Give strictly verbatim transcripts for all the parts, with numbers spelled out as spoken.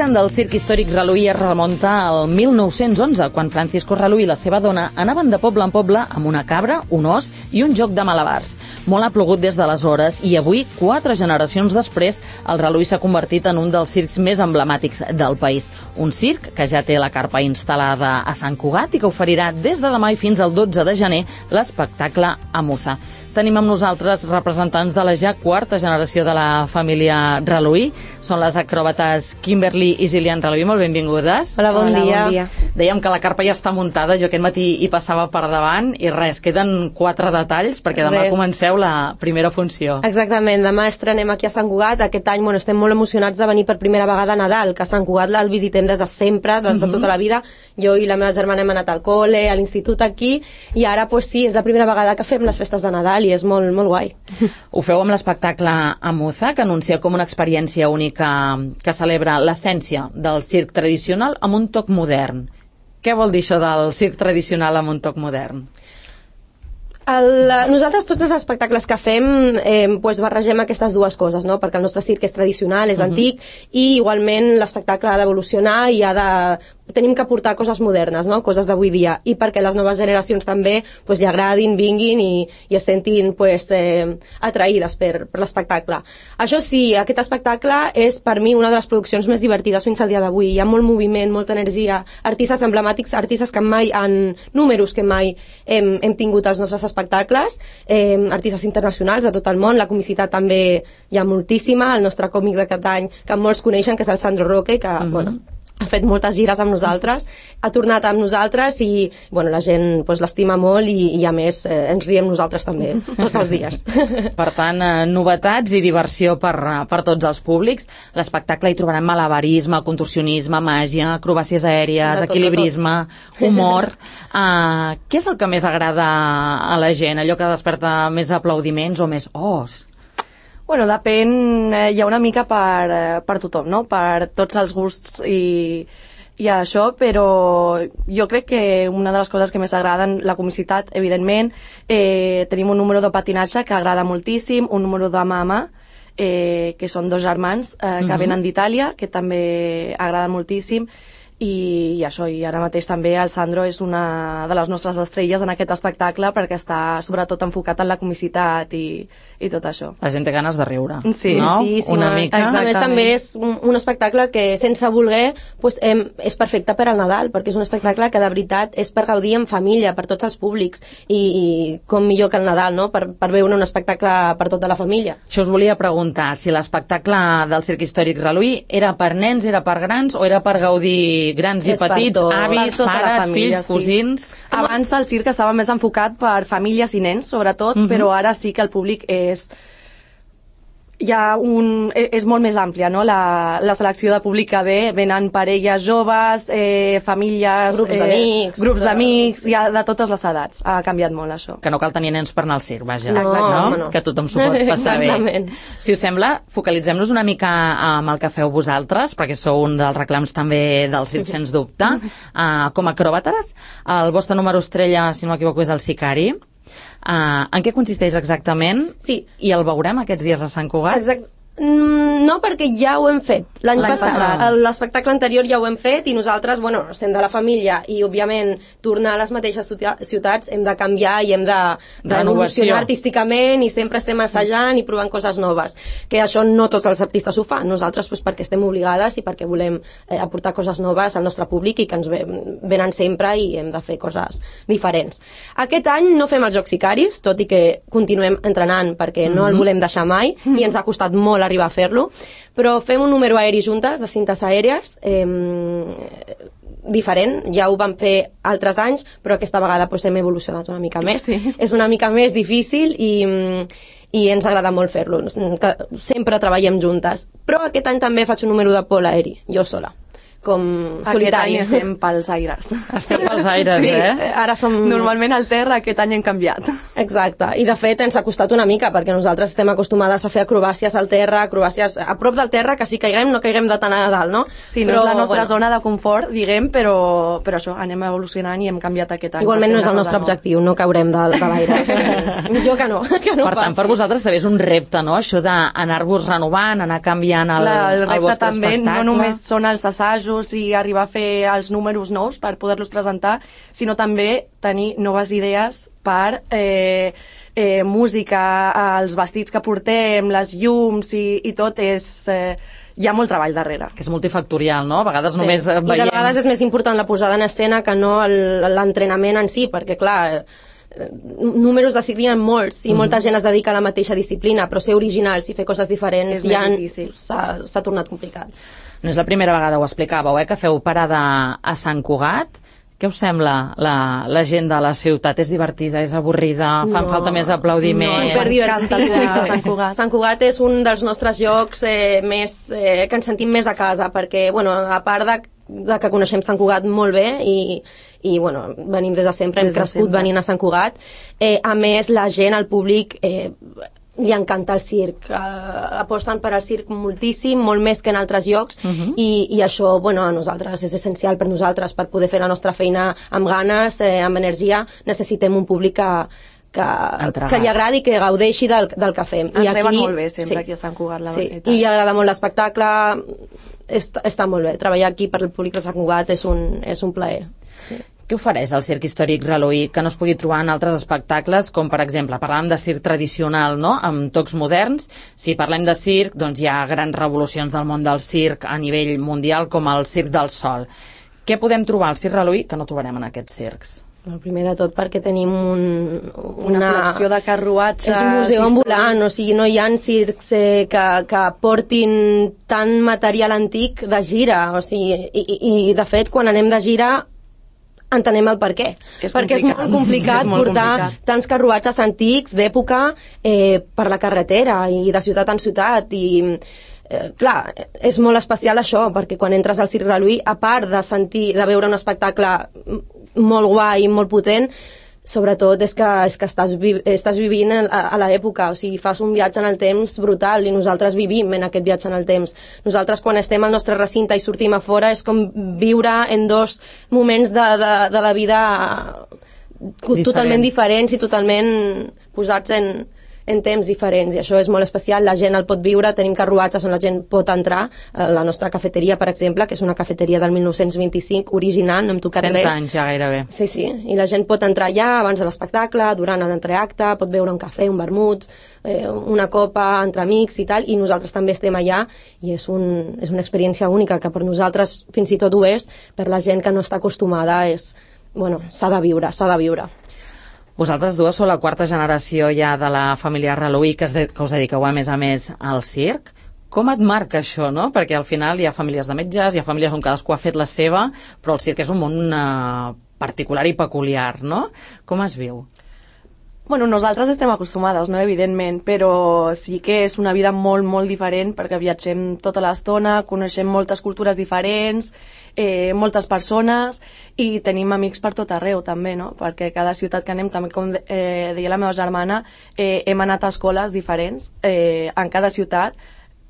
L'origen del circ històric Reluí es remunta al mil nou-cents onze, quan Francisco Reluí i la seva dona anaven de poble en poble amb una cabra, un os i un joc de malabars. Molt ha plogut des d'aleshores i avui, quatre generacions després, el Reluí s'ha convertit en un dels circs més emblemàtics del país. Un circ que ja té la carpa instal·lada a Sant Cugat i que oferirà des de demà i fins al dotze de gener l'espectacle Amuza. Tenim amb nosaltres representants de la ja quarta generació de la família Reluí. Són les acròbates Kimberly i Zilian Reluí. Molt benvingudes. Hola, bon, Hola, dia. bon dia. Dèiem que la carpa ja està muntada. Jo aquest matí hi passava per davant i res, queden quatre detalls perquè demà res. Comenceu la primera funció. Exactament, demà estrenem aquí a Sant Cugat. Aquest any bueno, estem molt emocionats de venir per primera vegada a Nadal, que a Sant Cugat el visitem des de sempre, des de tota la vida. Jo i la meva germana hem anat al col·le, a l'institut aquí, i ara pues, sí, és la primera vegada que fem les festes de Nadal i és molt, molt guai. Ho feu amb l'espectacle Amuza, que anuncia com una experiència única que celebra l'essència del circ tradicional amb un toc modern. Què vol dir això del circ tradicional amb un toc modern? El, nosaltres tots els espectacles que fem eh, pues barregem aquestes dues coses, no? Perquè el nostre circ és tradicional, és uh -huh. antic, i igualment l'espectacle ha d'evolucionar i ha de... tenim que aportar coses modernes, no? Coses d'avui dia, i perquè les noves generacions també pues, li agradin, vinguin i, i es sentin pues, eh, atraïdes per, per l'espectacle. Això sí, aquest espectacle és per mi una de les produccions més divertides fins al dia d'avui. Hi ha molt moviment, molta energia, artistes emblemàtics, artistes que mai han... números que mai hem, hem tingut als nostres espectacles, eh, artistes internacionals de tot el món, la comicitat també hi ha moltíssima, el nostre còmic d'aquest any que molts coneixen, que és el Sandro Roque, que uh -huh. bueno, ha fet moltes gires amb nosaltres, ha tornat amb nosaltres i bueno, la gent pues, l'estima molt i, i a més eh, ens riem nosaltres també tots els dies. Per tant, eh, novetats i diversió per, per tots els públics. L'espectacle hi trobarem malabarisme, contorsionisme, màgia, acrobàcies aèries, tot, equilibrisme, tot. humor. Uh, què és el que més agrada a la gent? Allò que desperta més aplaudiments o més os? Bueno, depèn, eh, hi ha una mica per, eh, per tothom, no? Per tots els gusts i, i això, però jo crec que una de les coses que més agraden, la comicitat, evidentment, eh, tenim un número de patinatge que agrada moltíssim, un número de mama, eh, que són dos germans eh, que uh-huh. venen d'Itàlia, que també agrada moltíssim, i, i això, i ara mateix també el Sandro és una de les nostres estrelles en aquest espectacle perquè està sobretot enfocat en la comicitat i, i tot això. La gent té ganes de riure, sí. no? Sí, sí, una mica. A més també és un, un espectacle que sense voler pues, eh, és perfecte per al Nadal, perquè és un espectacle que de veritat és per gaudir en família, per tots els públics, i, i com millor que el Nadal, no? Per, per veure un espectacle per tota la família. Això us volia preguntar, si l'espectacle del circ històric Reluí era per nens, era per grans o era per gaudir grans i és petits, tot, avis, pares, família, fills, sí. cosins... Abans el circ estava més enfocat per famílies i nens, sobretot, uh-huh. però ara sí que el públic és... hi ha un... és molt més àmplia, no? La, la selecció de públic que ve, venen parelles joves, eh, famílies... Grups eh, d'amics... Grups d'amics, hi ha de totes les edats. Ha canviat molt, això. Que no cal tenir nens per anar al circ, vaja. No, no? no. Que tothom s'ho pot passar bé. Si us sembla, focalitzem-nos una mica amb el que feu vosaltres, perquè sou un dels reclams també del circ, sens dubte. Uh, com a acròbates, el vostre número estrella, si no m'equivoco, és el Sicari. Uh, en què consisteix exactament? Sí. I el veurem aquests dies a Sant Cugat? Exacte. No, perquè ja ho hem fet l'any passat, passat. L'espectacle anterior ja ho hem fet i nosaltres, bueno, sent de la família i òbviament tornar a les mateixes ciutats hem de canviar i hem de, de evolucionar artísticament i sempre estem assajant i provant coses noves, que això no tots els artistes ho fan, nosaltres pues, perquè estem obligades i perquè volem eh, aportar coses noves al nostre públic i que ens venen sempre i hem de fer coses diferents. Aquest any no fem els Jocs Sicaris, tot i que continuem entrenant perquè no el volem deixar mai i ens ha costat molt arribar a fer-lo, però fem un número aeri juntes, de cintes aèries, eh, diferent, ja ho vam fer altres anys, però aquesta vegada pues, hem evolucionat una mica més. Sí. És una mica més difícil i, i ens agrada molt fer-lo, sempre treballem juntes. Però aquest any també faig un número de pol aeri, jo sola. com solitari. Aquest any estem pels aires. Estem pels aires, sí, eh? Ara som... Normalment al terra, aquest any hem canviat. Exacte, i de fet ens ha costat una mica, perquè nosaltres estem acostumades a fer acrobàcies al terra, acrobàcies a prop del terra, que si caiguem no caiguem de tan a dalt, no? Sí, no però, és la nostra bueno, zona de confort, diguem, però, però això, anem evolucionant i hem canviat aquest any. igualment no és el nostre objectiu, no caurem de, de l'aire. Jo que no, que no Per tant, passi. per vosaltres també és un repte, no?, això d'anar-vos renovant, anar canviant el, La, el el repte vostre també espectacle. no només són els assajos i arribar a fer els números nous per poder-los presentar, sinó també tenir noves idees per eh, eh, música, els vestits que portem, les llums i, i tot és... Eh, hi ha molt treball darrere. Que és multifactorial, no? A vegades Sí. només I veiem... de vegades és més important la posada en escena que no el- l'entrenament en si, perquè clar, eh, números de circ hi ha molts i molta gent es dedica a la mateixa disciplina, però ser originals i fer coses diferents És més ja difícil. s'ha s'ha tornat complicat. No és la primera vegada, ho explicàveu, eh, que feu parada a Sant Cugat. Què us sembla la, la gent de la ciutat? És divertida, és avorrida, fan No, falta més aplaudiments? No, Ens superdivertida. encanta Sant Cugat. Sant Cugat és un dels nostres llocs eh, més, eh, que ens sentim més a casa, perquè, bueno, a part de, de que coneixem Sant Cugat molt bé i, i bueno, venim des de sempre, hem Des de crescut sempre. venint a Sant Cugat, eh, a més la gent, el públic, eh, li encanta el circ, uh, aposten per al circ moltíssim, molt més que en altres llocs, uh -huh. i, i això, bueno, a nosaltres és essencial per nosaltres, per poder fer la nostra feina amb ganes, eh, amb energia, necessitem un públic que, que, que li agradi i que gaudeixi del, del que fem. Ens I reben molt bé sempre aquí a Sant Cugat, la sí, veritat. i agrada molt l'espectacle, està, està molt bé. Treballar aquí per el públic de Sant Cugat és un, és un plaer. Sí. Què ofereix el circ històric Reloí que no es pugui trobar en altres espectacles, com per exemple, parlàvem de circ tradicional, no?, amb tocs moderns. Si parlem de circ, doncs hi ha grans revolucions del món del circ a nivell mundial, com el Circ del Sol. Què podem trobar al circ Reloí que no trobarem en aquests circs? El primer de tot perquè tenim un, Una, una col·lecció de carruatges... És un museu històrics. ambulant, o sigui, no hi ha circs eh, que, que portin tant material antic de gira, o sigui, i, i, i de fet, quan anem de gira entenem el per què. És perquè és complicat. molt complicat És molt portar complicat. tants carruatges antics d'època eh, per la carretera i de ciutat en ciutat i eh, clar, és molt especial això, perquè quan entres al Circ Reloí, a part de sentir, de veure un espectacle molt guai i molt potent, sobretot és que, és que estàs, vi estàs vivint a, a l'època, o sigui, fas un viatge en el temps brutal i nosaltres vivim en aquest viatge en el temps. Nosaltres quan estem al nostre recinte i sortim a fora és com viure en dos moments de, de, de la vida Diferents. totalment diferents i totalment posats en, en temps diferents, i això és molt especial. La gent el pot viure, tenim carruatges on la gent pot entrar, eh, la nostra cafeteria, per exemple, que és una cafeteria del mil nou-cents vint-i-cinc, original, no hem tocat Cent res. anys ja gairebé. Sí, sí, i la gent pot entrar allà abans de l'espectacle, durant l'entreacte, pot beure un cafè, un vermut, eh, una copa entre amics i tal, i nosaltres també estem allà, i és, un, és una experiència única, que per nosaltres fins i tot ho és, per la gent que no està acostumada, és, bueno, s'ha de viure, s'ha de viure. Vosaltres dues sou la quarta generació ja de la família Reloí que, de, que us dediqueu a més a més al circ. Com et marca això, no? Perquè al final hi ha famílies de metges, hi ha famílies on cadascú ha fet la seva, però el circ és un món eh, particular i peculiar, no? Com es viu? Bueno, nosaltres estem acostumades, no?, evidentment, però sí que és una vida molt, molt diferent perquè viatgem tota l'estona, coneixem moltes cultures diferents, eh, moltes persones i tenim amics per tot arreu també, no?, perquè cada ciutat que anem, també com eh, deia la meva germana, eh, hem anat a escoles diferents eh, en cada ciutat.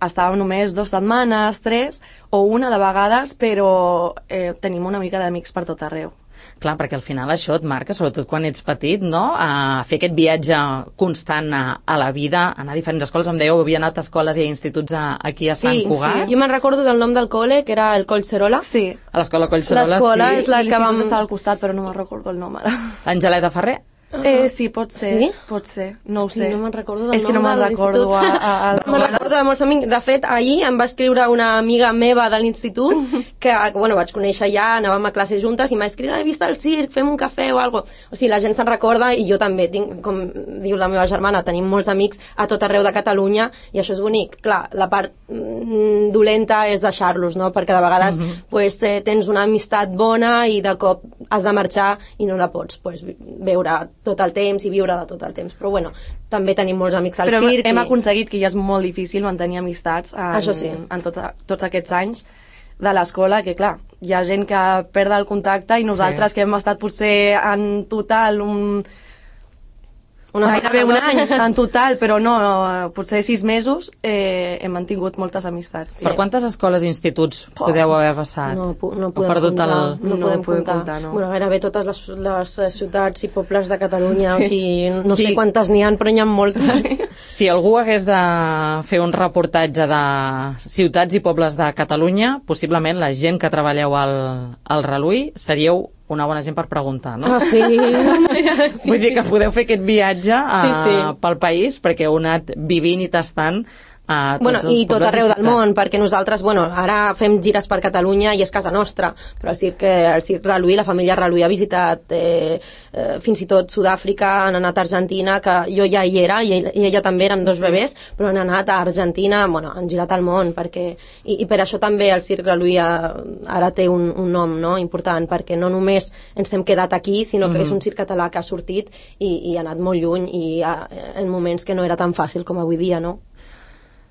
Estàvem només dues setmanes, tres o una de vegades, però eh, tenim una mica d'amics per tot arreu. Clar, perquè al final això et marca, sobretot quan ets petit, no?, a fer aquest viatge constant a, a la vida, anar a diferents escoles. Em dèieu, havia anat a escoles i a instituts a, aquí a Sant Sí, Cugat. sí, jo me'n recordo del nom del col·le, que era el Collserola. Sí, A l'escola Collserola, L'escola sí. és la I que l'institut vam... estava al costat, però no me'n recordo el nom ara. Angeleta Ferrer. Eh, sí, pot ser, Sí? pot ser, no Hosti, ho sé. no me'n recordo del És que no nom me'n de recordo a, l'institut. a, a, Me'n recordo de molts amics. De fet, ahir em va escriure una amiga meva de l'institut que, bueno, vaig conèixer ja, anàvem a classe juntes i m'ha escrit, he vist el circ, fem un cafè o alguna cosa. O sigui, la gent se'n recorda i jo també tinc, com diu la meva germana, tenim molts amics a tot arreu de Catalunya i això és bonic. Clar, la part mm, dolenta és deixar-los, no?, perquè de vegades Mhm. pues, eh, tens una amistat bona i de cop has de marxar i no la pots pues, veure tot el temps i viure de tot el temps, però bueno, també tenim molts amics al Però circ. hem i... aconseguit que ja és molt difícil mantenir amistats en, Això sí. en tot, tots aquests anys. de l'escola, que clar, hi ha gent que perd el contacte i nosaltres sí. que hem estat potser en total un... Una gairebé un any en total, però no, potser sis mesos eh, hem mantingut moltes amistats. Sí. Per quantes escoles i instituts oh. podeu haver passat? No, no podem comptar. El... No, no podem comptar. comptar no. Bueno, gairebé totes les, les ciutats i pobles de Catalunya, sí. o sigui, no sí. sé quantes n'hi ha, però n'hi ha moltes. Si algú hagués de fer un reportatge de ciutats i pobles de Catalunya, possiblement la gent que treballeu al, al Reluí seríeu una bona gent per preguntar, no? Ah, sí. sí. Vull dir que podeu fer aquest viatge uh, sí, sí. pel país, perquè heu anat vivint i tastant a tots bueno, els i tot arreu i del món, perquè nosaltres, bueno, ara fem gires per Catalunya i és casa nostra, però el circ, el circ Reluí, la família Reluí ha visitat eh, eh, fins i tot Sud-àfrica, han anat a Argentina, que jo ja hi era, i ella, i ella també, érem dos sí. bebès, però han anat a Argentina, bueno, han girat al món, perquè, i, i per això també el circ Reluí ha, ara té un, un nom, no?, important, perquè no només ens hem quedat aquí, sinó que mm-hmm. és un circ català que ha sortit i, i ha anat molt lluny, i ha, en moments que no era tan fàcil com avui dia, no?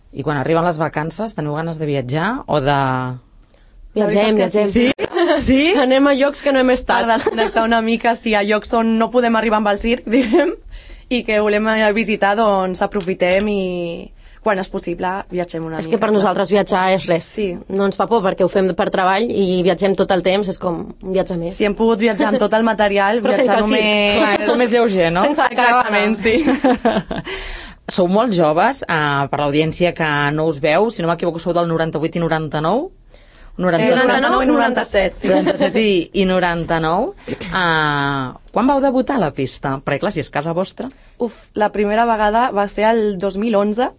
I quan arriben les vacances, teniu ganes de viatjar o de... Viatgem, viatgem. Sí? Sí? Anem a llocs que no hem estat. Per desconnectar una mica, sí, a llocs on no podem arribar amb el circ, diguem, i que volem visitar, doncs aprofitem i quan és possible viatgem una és mica. És que per nosaltres viatjar és res. Sí. No ens fa por perquè ho fem per treball i viatgem tot el temps, és com un viatge més. Si hem pogut viatjar amb tot el material, però viatjar sense només... Clar, és més lleuger, no? Sense Exactament, sí. Sou molt joves, uh, per l'audiència que no us veu, si no m'equivoco sou del noranta-vuit i noranta-nou? noranta-nou i noranta-set, sí. noranta-set i, i noranta-nou. Uh, quan vau debutar a la pista? Perquè clar, si és casa vostra... Uf, la primera vegada va ser el dos mil onze.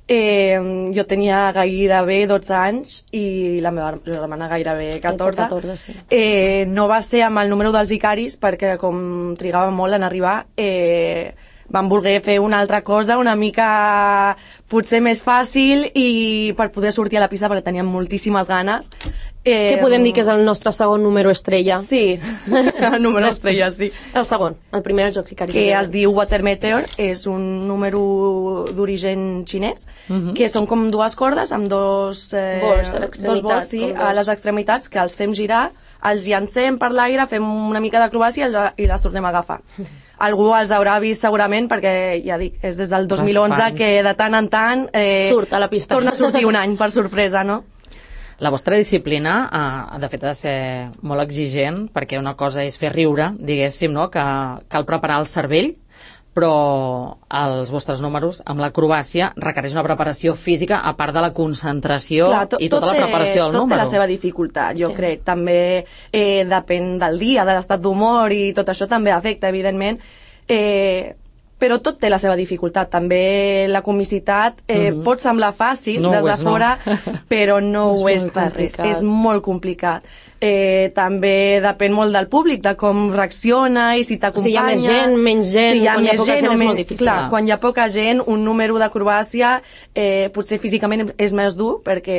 Eh, jo tenia gairebé dotze anys i la meva germana gairebé catorze. catorze sí. eh, no va ser amb el número dels Icaris perquè com trigava molt en arribar, eh, vam voler fer una altra cosa una mica potser més fàcil i per poder sortir a la pista perquè teníem moltíssimes ganes. Eh, Què podem dir que és el nostre segon número estrella? Sí, el número estrella, sí. El segon, el primer dels Jocs Icaris. Que es diu Water Meteor, és un número d'origen xinès, uh-huh. que són com dues cordes amb dos, eh, bols, dos bols sí, a les extremitats que els fem girar, els llancem per l'aire, fem una mica d'acrobàcia i les tornem a agafar. Algú els haurà vist segurament perquè, ja dic, és des del dos mil onze que de tant en tant eh, surt a la pista. Torna a sortir un any per sorpresa, no? La vostra disciplina, eh, de fet, ha de ser molt exigent, perquè una cosa és fer riure, diguéssim, no?, que cal preparar el cervell, però els vostres números amb l'acrobàcia requereix una preparació física a part de la concentració. Clar, tot, i tota tot la preparació del tot número. Tot té la seva dificultat, jo sí. crec. També eh, depèn del dia, de l'estat d'humor i tot això també afecta, evidentment. Eh, però tot té la seva dificultat. També la comicitat eh, mm-hmm. pot semblar fàcil no des de és, fora, no. però no ho és per res. És molt complicat. Eh, també depèn molt del públic, de com reacciona i si t'acompanya. Si hi ha més gent, menys gent, si hi ha quan hi ha poca gent, gent és men... molt difícil. Clar, quan hi ha poca gent, un número d'acrobàcia eh, potser físicament és més dur perquè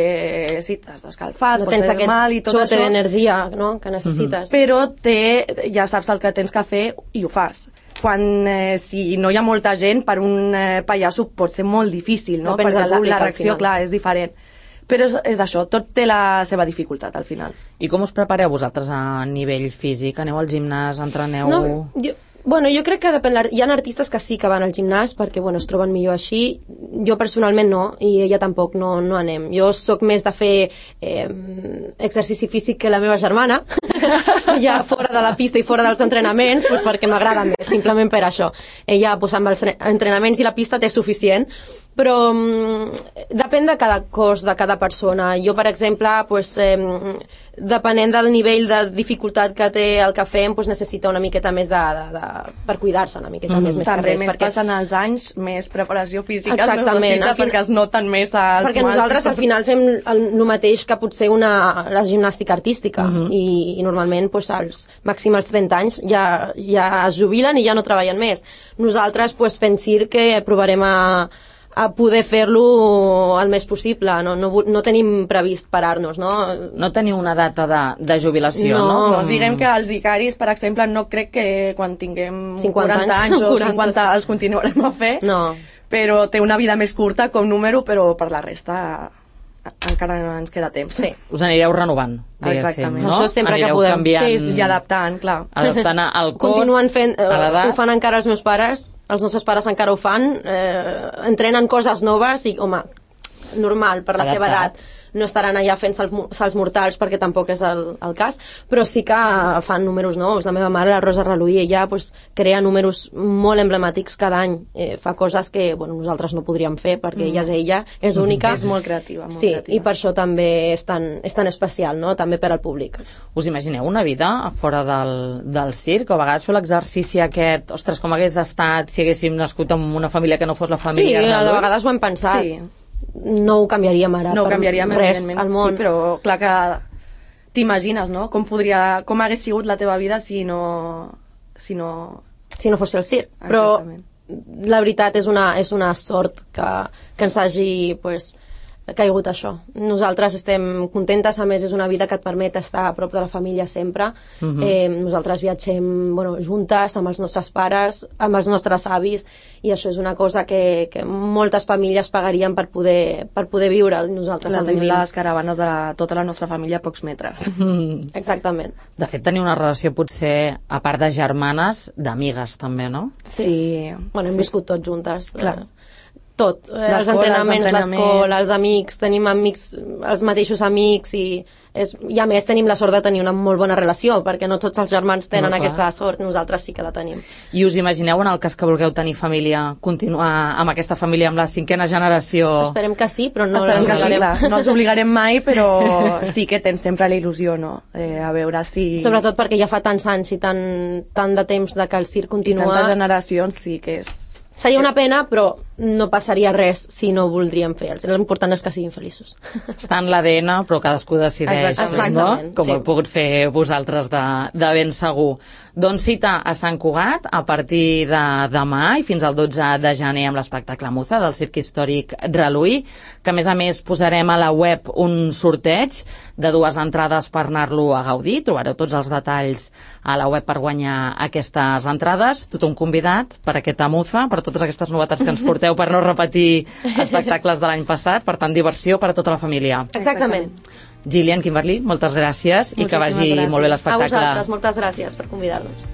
sí, t'has d'escalfat, no pots tens fer mal i tot això. d'energia, no?, que necessites. Mm-hmm. Però té, ja saps el que tens que fer i ho fas. Quan, eh, si no hi ha molta gent, per un eh, pallasso pot ser molt difícil, no? Depèn Perquè la, la reacció, clar, és diferent. Però és, és això, tot té la seva dificultat al final. I com us prepareu vosaltres a nivell físic? Aneu al gimnàs, entreneu... No, jo, bueno, jo crec que depèn, hi ha artistes que sí que van al gimnàs perquè bueno, es troben millor així. Jo personalment no, i ella tampoc no, no anem. Jo sóc més de fer eh, exercici físic que la meva germana, ja fora de la pista i fora dels entrenaments, pues perquè m'agrada més, simplement per això. Ella pues, amb els entrenaments i la pista té suficient, però um, depèn de cada cos, de cada persona. Jo, per exemple, pues, eh, depenent del nivell de dificultat que té el que fem, pues, necessita una miqueta més de, de, de per cuidar-se una miqueta mm. més, més també que res. Més perquè... passen els anys, més preparació física exactament, necessita fin... perquè es noten més els perquè mals. Nosaltres al final fem el, el mateix que potser una, la gimnàstica artística mm-hmm. i, i normalment pues, als màxim als trenta anys ja, ja es jubilen i ja no treballen més. Nosaltres pues, fent circ provarem a a poder fer-lo el més possible. No, no, no tenim previst parar-nos, no? No teniu una data de, de jubilació, no? No, no, diguem que els Icaris, per exemple, no crec que quan tinguem cinquanta quaranta anys o quaranta cinquanta els continuarem a fer, no. Però té una vida més curta com número, però per la resta encara no ens queda temps. Sí. Us anireu renovant, Exactament. no? Això sempre anireu que podem. canviant, Sí, sí, sí. I adaptant, clar. adaptant al cos, Continuen fent, eh, a l'edat. ho fan encara els meus pares, els nostres pares encara ho fan, eh, entrenen coses noves i, home, normal, per la Adaptat. seva edat. No estaran allà fent sal, salts mortals perquè tampoc és el, el cas, però sí que fan números nous. La meva mare, la Rosa Reluí, ella pues, crea números molt emblemàtics cada any. Eh, fa coses que bueno, nosaltres no podríem fer perquè mm. ella és ella, és única. És molt creativa. Molt sí, creativa. i per això també és tan, és tan especial, no? També per al públic. Us imagineu una vida fora del, del circ? O a vegades feu l'exercici aquest, ostres, com hagués estat si haguéssim nascut en una família que no fos la Sí, família de Reluí? vegades ho hem pensat. Sí. No ho canviaríem ara No ho per canviaríem, res evidentment, al món. sí, però clar que t'imagines, no? Com podria, com hagués sigut la teva vida si no... Si no... Si no fos el circ. Però Exactament. la veritat és una, és una sort que, que ens hagi pues, caigut això. Nosaltres estem contentes, a més és una vida que et permet estar a prop de la família sempre. Uh-huh. eh, nosaltres viatgem bueno, juntes amb els nostres pares, amb els nostres avis, i això és una cosa que, que moltes famílies pagarien per poder, per poder viure. Nosaltres Clar, el tenim vivim. les caravanes de la, tota la nostra família a pocs metres. Mm. Exactament. De fet, teniu una relació potser, a part de germanes, d'amigues també, no? Sí. Bueno, hem sí. viscut tots juntes. Clar. Tot, eh, els L'escola, entrenaments, els entrenaments. l'escola, els amics, tenim amics, els mateixos amics i, és, i a més tenim la sort de tenir una molt bona relació perquè no tots els germans tenen No, clar. aquesta sort, nosaltres sí que la tenim. I us imagineu, en el cas que vulgueu tenir família, continuar amb aquesta família, amb la cinquena generació? Esperem que sí, però no Esperem que sí, l'obligarem. clar. No els obligarem mai, però sí que tens sempre la il·lusió, no? Eh, a veure si... Sobretot perquè ja fa tants anys i tant, tant de temps de que el circ I continua. tantes generacions, sí que és... Seria una pena, però no passaria res si no voldríem fer. L'important és que siguin feliços. Està en l'A D N, però cadascú decideix, Exactament, no? Com sí. ho heu pogut fer vosaltres de, de ben segur. Doncs cita a Sant Cugat a partir de demà i fins al dotze de gener amb l'espectacle Muza del Circ Històric Reluí, que a més a més posarem a la web un sorteig de dues entrades per anar-lo a gaudir. Trobareu tots els detalls a la web per guanyar aquestes entrades. Tothom convidat per aquesta Muza, per totes aquestes novetats que ens porteu per no repetir espectacles de l'any passat. Per tant, diversió per a tota la família. Exactament. Gillian, Kimberly, moltes gràcies i que Moltíssimes vagi gràcies. molt bé A l'espectacle. vosaltres, moltes gràcies per convidar-nos.